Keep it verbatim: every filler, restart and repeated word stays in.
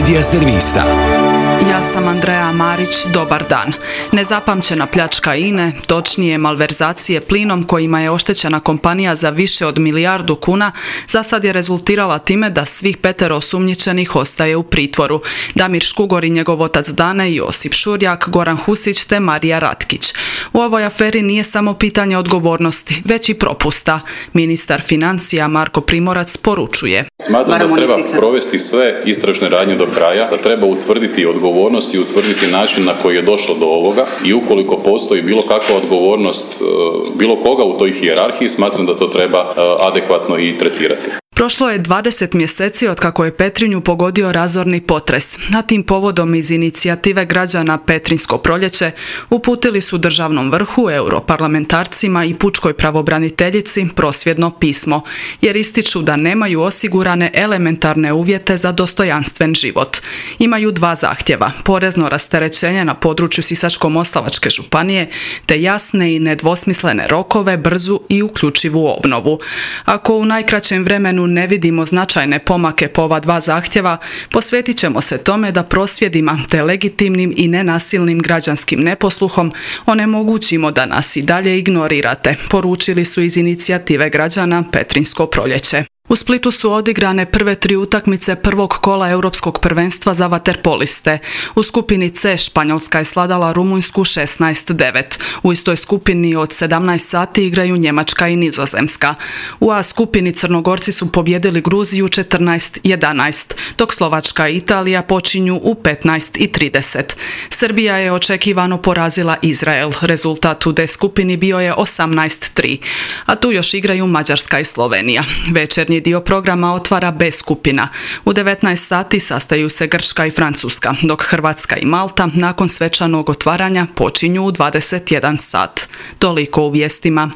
Medija servisa. Ja sam Andreja Marić, dobar dan. Nezapamćena pljačka I N E, točnije malverzacije plinom kojima je oštećena kompanija za više od milijardu kuna, za sad je rezultirala time da svih petero osumnjičenih ostaje u pritvoru. Damir Škugor i njegov otac Dane, Josip Šurjak, Goran Husić te Marija Ratkić. U ovoj aferi nije samo pitanje odgovornosti, već i propusta. Ministar financija Marko Primorac poručuje. Smatram da treba provesti sve istražne radnje do kraja, da treba utvrditi odgovornost i utvrditi način na koji je došlo do ovoga i ukoliko postoji bilo kakva odgovornost bilo koga u toj hijerarhiji, smatram da to treba adekvatno i tretirati. Prošlo je dvadeset mjeseci od kako je Petrinju pogodio razorni potres. Na tim povodom iz inicijative građana Petrinjsko proljeće uputili su državnom vrhu, europarlamentarcima i pučkoj pravobraniteljici prosvjedno pismo, jer ističu da nemaju osigurane elementarne uvjete za dostojanstven život. Imaju dva zahtjeva, porezno rasterećenje na području Sisačko-moslavačke županije, te jasne i nedvosmislene rokove, brzu i uključivu obnovu. Ako u najkraćem vremenu ne vidimo značajne pomake po ova dva zahtjeva, posvetit ćemo se tome da prosvjedima te legitimnim i nenasilnim građanskim neposluhom onemogućimo da nas i dalje ignorirate, poručili su iz inicijative građana Petrinjsko proljeće. U Splitu su odigrane prve tri utakmice prvog kola Europskog prvenstva za vaterpoliste. U skupini C Španjolska je svladala Rumunjsku šesnaest devet. U istoj skupini od sedamnaest sati igraju Njemačka i Nizozemska. U A skupini Crnogorci su pobjedili Gruziju četrnaest jedanaest, dok Slovačka i Italija počinju u petnaest i trideset. Srbija je očekivano porazila Izrael. Rezultat u D skupini bio je osamnaest tri. A tu još igraju Mađarska i Slovenija. Večernji dio programa otvara B skupina. U devetnaest sati sastaju se Grčka i Francuska, dok Hrvatska i Malta nakon svečanog otvaranja počinju u dvadeset jedan sat. Toliko u vijestima.